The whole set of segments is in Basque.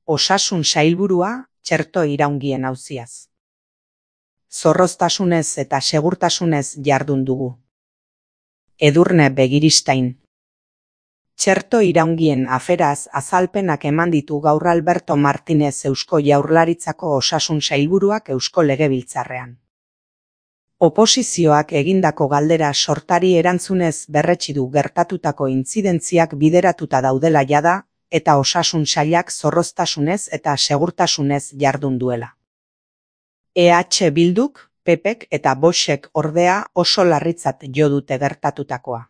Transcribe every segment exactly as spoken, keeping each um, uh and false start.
Osasun sailburua txerto iraungien auziaz. Zorroztasunez eta segurtasunez jardun dugu. Edurne Begiristain. Txerto iraungien aferaz azalpenak eman ditu gaur Alberto Martinez Eusko Jaurlaritzako Osasun Sailburuak Eusko Legebiltzarrean. Oposizioak egindako galdera sortari erantzunez berretsi du gertatutako intzidentziak bideratuta daudela jada, eta osasun sailak zorroztasunez eta segurtasunez jardun duela. E H Bilduk, P Pek eta Voxek ordea oso larritzat jo dute gertatutakoa.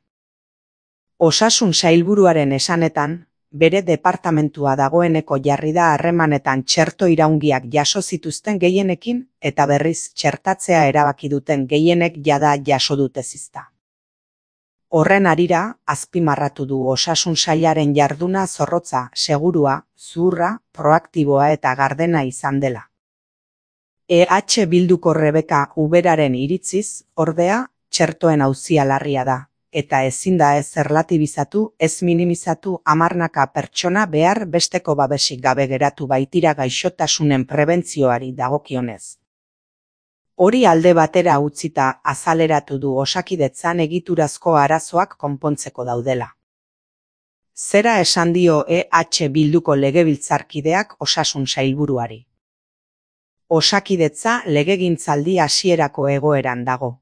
Osasun sailburuaren esanetan, bere departamentua dagoeneko jarri da harremanetan txerto iraungiak jaso zituzten gehienekin eta berriz txertatzea erabaki duten gehienek jada jaso dute zizta. Horren harira, azpimarratu du osasun sailaren jarduna zorrotza, segurua, zuhurra, proaktiboa eta gardena izan dela. E H Bilduko Rebeka Uberaren iritziz, ordea, txertoen auzia larria da, eta ezin da ez erlatibizatu, ez minimizatu hamarnaka pertsona behar besteko babesik gabe geratu baitira gaixotasunen prebentzioari dagokionez. Hori alde batera utzita azaleratu du Osakidetzan egiturazko arazoak konpontzeko daudela. Zera esan dio E H Bilduko legebiltzarkideak osasun sailburuari. Osakidetza legegintzaldi hasierako egoeran dago.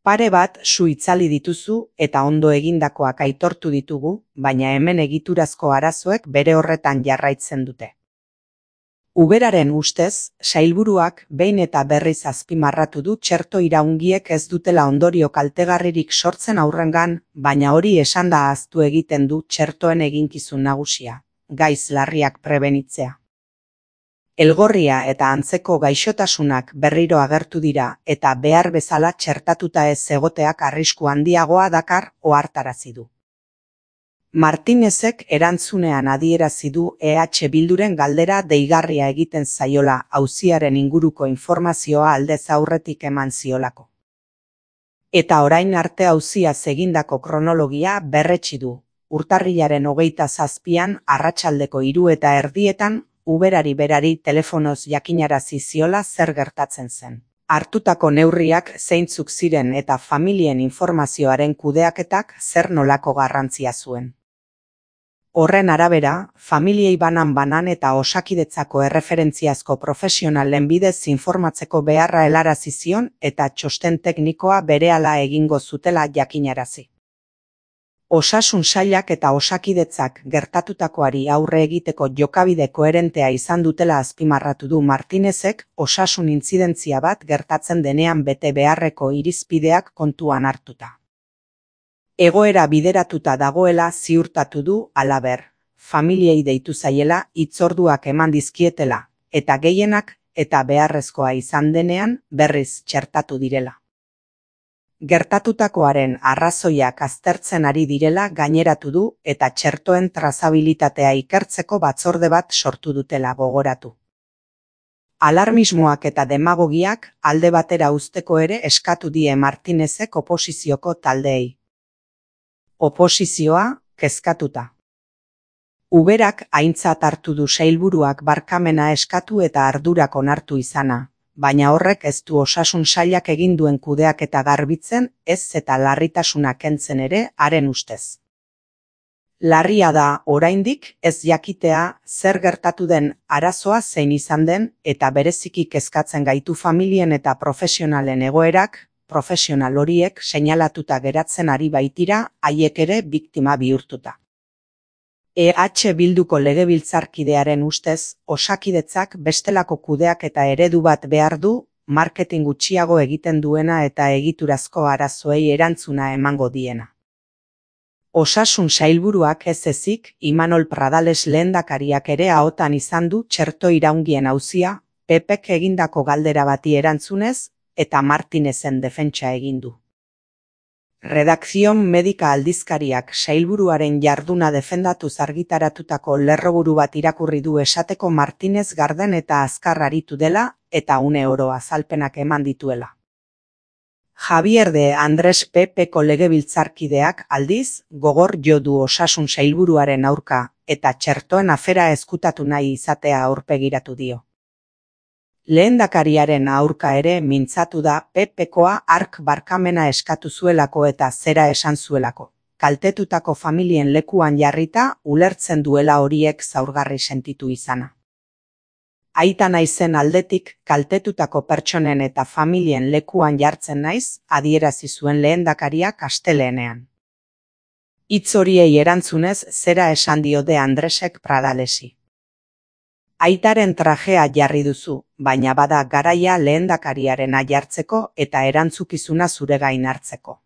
Pare bat su itzali dituzu eta ondo egindakoak aitortu ditugu, baina hemen egiturazko arazoek bere horretan jarraitzen dute. Uberaren ustez, sailburuak behin eta berriz azpimarratu du txerto iraungiek ez dutela ondorio kaltegarririk sortzen aurrengan, baina hori esanda ahaztu egiten du txertoen eginkizun nagusia, gaiz larriak prebenitzea. Elgorria eta antzeko gaixotasunak berriro agertu dira eta behar bezala txertatuta ez egoteak arrisku handiagoa dakar ohartarazi du. Martinezek erantzunean adierazi du E H Bilduren galdera deigarria egiten zaiola auziaren inguruko informazioa aldez aurretik eman ziolako. Eta orain arte auziaz egindako kronologia berretsi du, urtarrilaren hogeita zazpian arratsaldeko hiru eta erdietan Uberari berari telefonoz jakinarazi ziola zer gertatzen zen. Hartutako neurriak zeintzuk ziren eta familien informazioaren kudeaketak zer nolako garrantzia zuen. Horren arabera, familiei banan-banan eta Osakidetzako erreferentziazko profesionalen bidez informatzeko beharra helarazi zion eta txosten teknikoa berehala egingo zutela jakinarazi. Osasun sailak eta Osakidetzak gertatutakoari aurre egiteko jokabide koherentea izan dutela azpimarratu du Martinezek osasun intzidentzia bat gertatzen denean bete beharreko irizpideak kontuan hartuta. Egoera bideratuta dagoela ziurtatu du halaber, familiei deitu zaiela hitzorduak eman dizkietela, eta gehienak eta beharrezkoa izan denean berriz txertatu direla. Gertatutakoaren arrazoiak aztertzen ari direla gaineratu du eta txertoen trazabilitatea ikertzeko batzorde bat sortu dutela gogoratu. Alarmismoak eta demagogiak alde batera uzteko ere eskatu die Martinezek oposizioko taldeei. Oposizioa, kezkatuta. Uberak aintzat hartu du sailburuak barkamena eskatu eta ardurak onartu izana. Baina horrek ez du osasun sailak egin duen kudeaketa garbitzen, ez eta larritasuna kentzen ere haren ustez. Larria da oraindik ez jakitea zer gertatu den arazoa zein izan den eta bereziki kezkatzen gaitu familien eta profesionalen egoerak, profesional horiek seinalatuta geratzen ari baitira haiek ere biktima bihurtuta. E H Bilduko legebiltzarkidearen ustez, Osakidetzak bestelako kudeak eta eredu bat behar du, marketing gutxiago egiten duena eta egiturazko arazoei erantzuna emango diena. Osasun sailburuak ez ezik, Imanol Pradales lehendakariak ere ahotan izan du txerto iraungien auzia, P Pek egindako galdera bati erantzunez, eta Martinezen defentsa egin du. Redakzion Medika aldizkariak sailburuaren jarduna defendatuz argitaratutako lerroburu bat irakurri du esateko Martinez garden eta azkar aritu dela eta une oro azalpenak eman dituela. Javier de Andrés P Peko legebiltzarkideak aldiz, gogor jo du osasun sailburuaren aurka, eta txertoen afera ezkutatu nahi izatea aurpegiratu dio. Lehendakariaren aurka ere mintzatu da Pepekoa hark barkamena eskatu zuelako eta zera esan zuelako. Kaltetutako familien lekuan jarrita ulertzen duela horiek zaurgarri sentitu izana. Aita naizen aldetik kaltetutako pertsonen eta familien lekuan jartzen naiz, adierazi zuen lehendakariak asteleenean. Hitz horiei erantzunez zera esan dio De Andresek Pradalesi. Aitaren trajea jarri duzu, baina bada garaia lehendakariarena jartzeko eta erantzukizuna zure gain hartzeko.